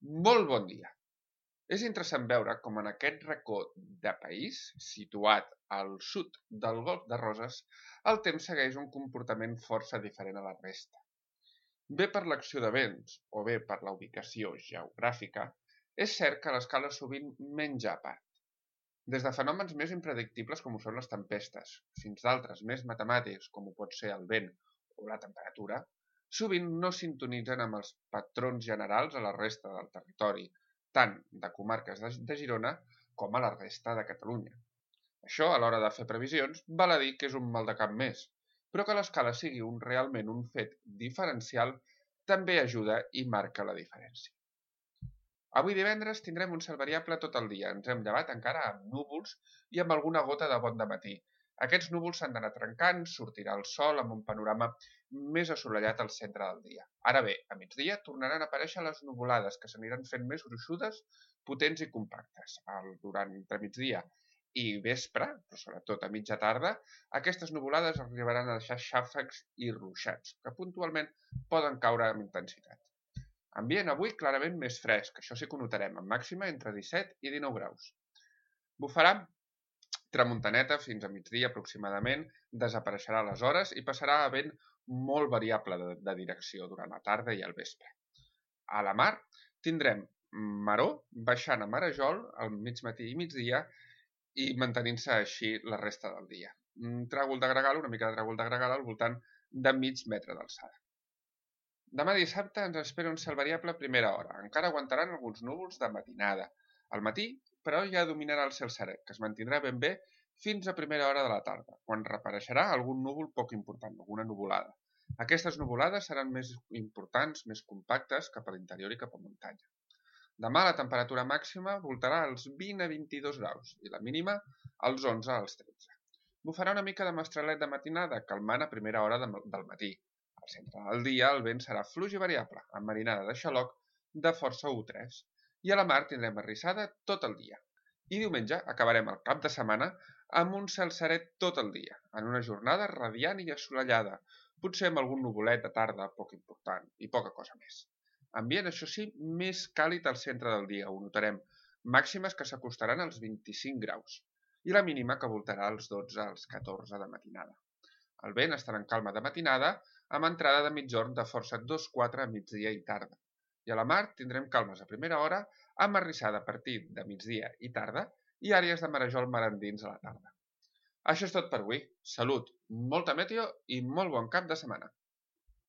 Molt bon dia! És interessant veure com en aquest racó de país, situat al sud del Golf de Roses, el temps segueix un comportament força diferent a la resta. Bé per l'acció de vents o bé per la ubicació geogràfica, és cert que l'escala sovint menja a part. Des de fenòmens més impredictibles com ho són les tempestes, fins d'altres més matemàtics com ho pot ser el vent o la temperatura, sovint no sintonitzen amb els patrons generals a la resta del territori, tant de comarques de Girona com a la resta de Catalunya. Això, a l'hora de fer previsions, val a dir que és un maldecap més, però que l'escala sigui realment un fet diferencial també ajuda i marca la diferència. Avui divendres tindrem un cel variable tot el dia. Ens hem llevat encara amb núvols i amb alguna gota de bon dematí. Aquests núvols s'han d'anar trencant, sortirà el sol amb un panorama més assolellat al centre del dia. Ara bé, a migdia tornaran a aparèixer les nuvolades, que s'aniran fent més gruixudes, potents i compactes. Durant migdia i vespre, però sobretot a mitja tarda, aquestes nuvolades arribaran a deixar xàfecs i ruixats, que puntualment poden caure amb intensitat. Ambient avui clarament més fresc, això sí que ho notarem, amb màxima entre 17 i 19 graus. Bufarà tramuntaneta fins a migdia aproximadament, desapareixerà a les hores i passarà a vent molt variable de direcció durant la tarda i el vespre. A la mar tindrem maró baixant a marejol al mig matí i migdia i mantenint-se així la resta del dia. Tràgol de gregal, una mica de tràgol de gregal al voltant de mig metre d'alçada. Demà dissabte ens espera un cel variable a primera hora. Encara aguantaran alguns núvols de matinada. Al matí, però, ja dominarà el cel serè, que es mantindrà ben bé fins a primera hora de la tarda, quan reapareixerà algun núvol poc important, alguna nuvolada. Aquestes nuvolades seran més importants, més compactes, cap a l'interior i cap a muntanya. Demà la temperatura màxima voltarà als 20 a 22 graus i la mínima als 11 als 13. Bufarà una mica de mestralet de matinada, calmant a primera hora del matí. Al centre del dia el vent serà fluix i variable, amb marinada de xaloc de força U3. I a la mar tindrem arrissada tot el dia. I diumenge acabarem el cap de setmana amb un cel serè tot el dia, en una jornada radiant i assolellada, potser amb algun nuvolet de tarda poc important i poca cosa més. Ambient, això sí, més càlid al centre del dia, ho notarem, màximes que s'acostaran als 25 graus, i la mínima que voltarà als 12 als 14 de matinada. El vent estarà en calma de matinada, amb entrada de migjorn de força 2-4 a migdia i tarda. I a la mar tindrem calmes a primera hora, amb arrissada a partir de migdia i tarda i àrees de marejol mar endins a la tarda. Això és tot per avui. Salut, molta meteo i molt bon cap de setmana.